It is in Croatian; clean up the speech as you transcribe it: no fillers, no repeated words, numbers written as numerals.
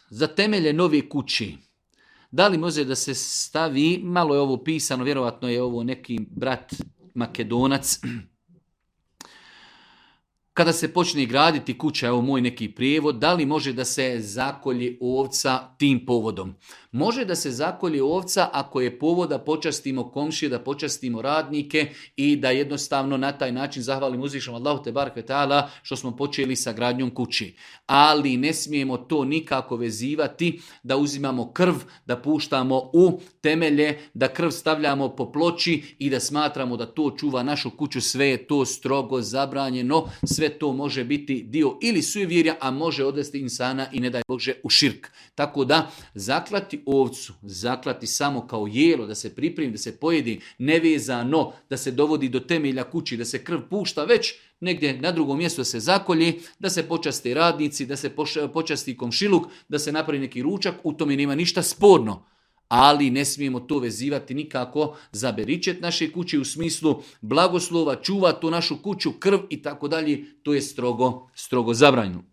za temelje nove kući. Da li može da se stavi, malo je ovo pisano, vjerovatno je ovo neki brat Makedonac, kada se počne graditi kuća, evo moj neki prijevod, da li može da se zakolje ovca tim povodom? Može da se zakolje ovca ako je povod da počastimo komšije, da počastimo radnike i da jednostavno na taj način zahvalimo uzvišenom Allahu te barek ve taala što smo počeli sa gradnjom kući. Ali ne smijemo to nikako vezivati da uzimamo krv, da puštamo u temelje, da krv stavljamo po ploči i da smatramo da to čuva našu kuću. Sve je to strogo zabranjeno, sve to može biti dio ili sujevjerja, a može odvesti insana i ne daj Bože u širk. Tako da zaklati ovcu, zaklati samo kao jelo, da se pripremi, da se pojedi, nevezano, da se dovodi do temelja kući, da se krv pušta, već negdje na drugom mjestu da se zakolje, da se počasti radnici, da se počasti komšiluk, da se napravi neki ručak, u tome nema ništa sporno. Ali ne smijemo to vezivati nikako za beričet naše kuće u smislu blagoslova, čuva tu našu kuću, krv i tako dalje. To je strogo zabranjeno.